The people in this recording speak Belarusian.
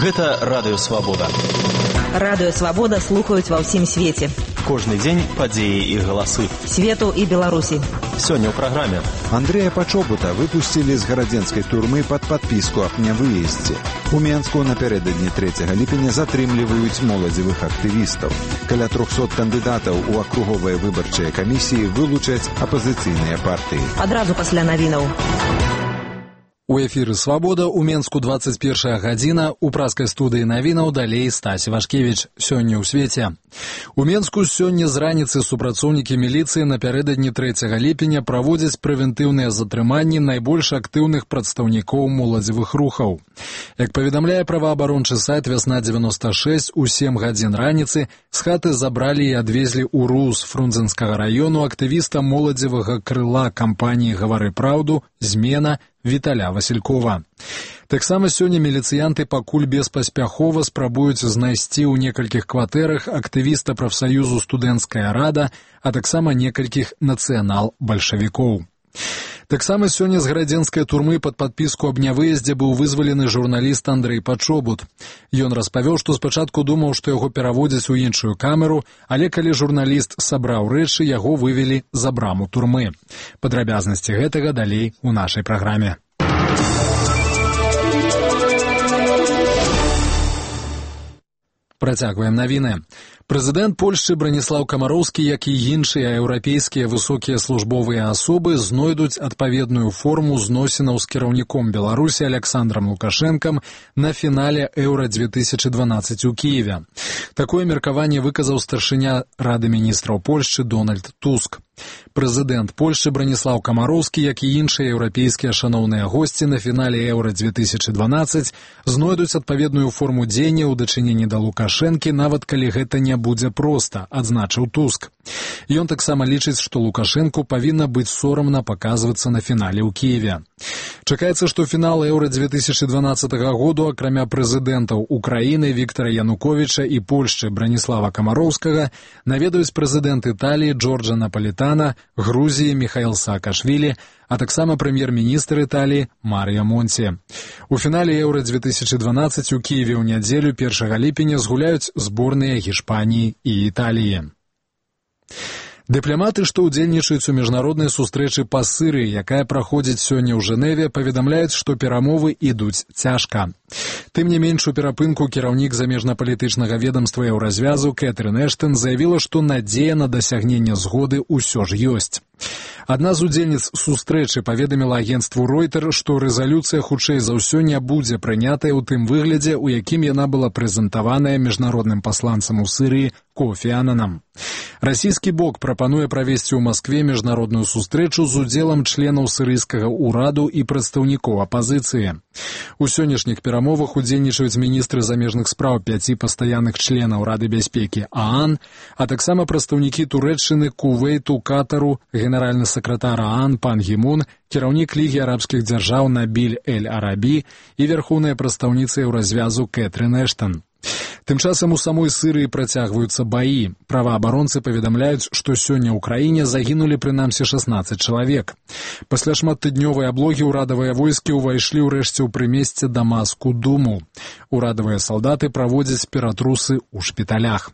Гэта Радыё Свабода. Радыё Свабода слухаюць ва ўсім свеце. Кожны дзень падзеі і галасы. Свету і Беларусі. Сёння ў праграме. Андрэя Пачобута выпусцілі з гарадзенскай турмы пад падпіску аб нявыездзе. У Менску напярэдадні 3 ліпеня затрымліваюць моладзевых актывістаў. Каля 300 кандыдатаў у акруговыя выбарчыя камісіі вылучаць апазіцыйныя партыі. Адразу пасля навінаў. У эфіры «Свабода» у Менску 21 гадзіна, у праскай студыі навінаў далей Стась Вашкевіч. Сёння ў свеце. У Менску сёння з раніцы супрацоўнікі міліцыі напярэдадні 3 ліпеня праводзяць прэвентыўныя затрыманні найбольш актыўных прадстаўнікоў моладзевых рухаў. Як паведамляе праваабарончы сайт «Вясна-96», у 7 гадзін раніцы з хаты забралі і адвезлі ў РУС Фрунзенскага раёну актывіста моладзевага крыла кампаніі «Гавары праўду» «Змена» Віталя Васількова. Таксама сёння міліцыянты пакуль беспаспяхова спрабуюць знайсці ў некалькіх кватэрах актывіста прафсаюзу «Студэнцкая рада», а таксама некалькіх нацыянал-бальшавікоў. Таксама сёння з гарадзенскай турмы пад падпіску аб нявыездзе быў вызвалены журналіст Андрэй Пачобут. Ён распавёў, што спачатку думаў, што яго пераводзяць у іншую камеру, але калі журналіст сабраў рэчы, яго вывелі за браму турмы. Падрабязнасці гэтага далей у нашай праграме. Працягваем навіны. Прэзідэнт Польшчы Браніслаў Камароўскі, як і іншыя еўрапейскія высокія службовыя асобы, знойдуць адпаведную форму зносінаў з кіраўніком Беларусі Аляксандрам Лукашэнкам на фінале Еўра-2012 у Кіеве. Такое меркаванне выказаў старшыня Рады міністраў Польшчы Дональд Туск. Прэзідэнт Польшчы Браніслаў Камароўскі, як і іншыя еўрапейскія шаноўныя госці на фінале Еўра-2012 знойдуць адпаведную форму дзеяння ў дачыненні да Лукашэнкі, нават калі гэта не будзе проста, адзначыў Туск. Ён таксама лічыць, што Лукашэнку павінна быць сорамна паказвацца на фінале ў Кіеве. Чакаецца, што фінал Еўра-2012 году, акрамя прэзідэнтаў Украіны Віктара Януковіча і Польшчы Браніслава Камароўскага, наведаюць прэзідэнт Італіі Джорджа Напалітана, Грузіі Міхаіл Саакашвілі, а таксама прэм'ер-міністр Італіі Марія Монці. У фінале Еўра-2012 у Кіеве ў нядзелю 1 ліпеня згуляюць зборныя Гішпаніі і Італіі. Дыпламаты, што ўдзельнічаюць у міжнароднай сустрэчы па Сырыі, якая праходзіць сёння ў Жэневе, паведамляюць, што перамовы ідуць цяжка. Тым не менш, у перапынку кіраўнік замежнапалітычнага ведамства Еўразвязу Кэтрын Эштон заявіла, што надзея на дасягненне згоды ўсё ж ёсць. Адна з удзельніц сустрэчы паведаміла агенцтву Ройтер, што рэзалюцыя хутчэй за ўсё не будзе прынятая ў тым выглядзе, у якім яна была прэзентаваная міжнародным пасланцам у Сырыі Кофі Ананам. Расійскі бок прапануе правесці ў Маскве міжнародную сустрэчу з удзелам членаў сырыйскага ўраду і прадстаўнікоў апазіцыі. У сённяшніх перамовах удзельнічаюць міністры замежных спраў 5 пастаянных членаў Рады бяспекі ААН, а таксама прадстаўнікі Турэччыны, Кувейту, Катару, генеральны сакратар ААН пан Гімун, кіраўнік Лігі арабскіх дзяржаў Набіль Эль-Арабі і вярхоўная прадстаўніца Еўразвязу Кэтрын Эштон. Тым часам у самой Сырыі працягваюцца баі. Праваабаронцы паведамляюць, што сёння ў краіне загінулі прынамсі 16 чалавек. Пасля шматтыднёвай аблогі ўрадавыя войскі ўвайшлі ўрэшце ў прымесце Дамаску Думу. Урадавыя салдаты праводзяць ператрусы ў шпіталях.